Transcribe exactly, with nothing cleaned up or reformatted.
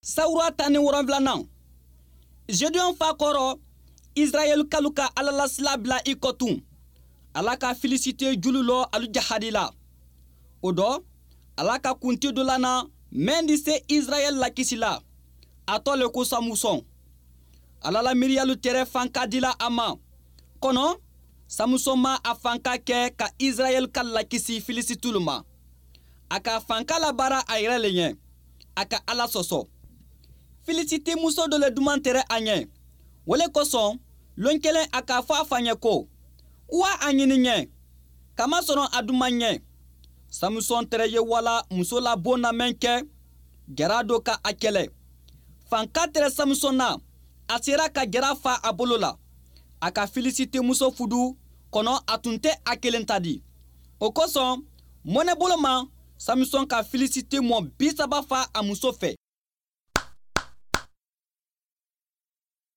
Sawura tan ni wolonfilanan, Gedeon fa kɔrɔ, Israɛlkalu ka Ala la sila bila i kɔ tun. Ala ka Filisite julu lɔ alu jahadi la. O dɔ, Ala ka kunti dɔ lana mɛn di se Israɛl lakisi la. A tɔ le ko Samusɔn. Ala la miiriyalu tɛrɛ fanka dila a ma. Kɔnɔ, Samusɔn ma a fanka kɛ ka Israɛl ka lakisi Filisitulu ma. A ka fanka labaara a yɛrɛ le ɲɛ. A ka Ala sɔsɔ. Filisiti muso dɔ le duman tɛrɛ a ɲɛ. O le kosɔn, lon kelen a k'a fɔ a fa ɲɛ ko: "Wa a ɲini ɲɛ, kamasɔrɔ a duman ɲɛ." Samusɔn tɛrɛ ye wala muso la bon na mɛn kɛ, jara do ka a kɛlɛ. Fanka tɛrɛ Samusɔn na, a sera ka jara fa a bolo la. A ka Filisiti muso fudu, kɔnɔ a tun tɛ a kelen ta di. O kosɔn, mɔnɛbolo ma, Samusɔn ka Filisiti mɔ bi saba fa a muso fɛ.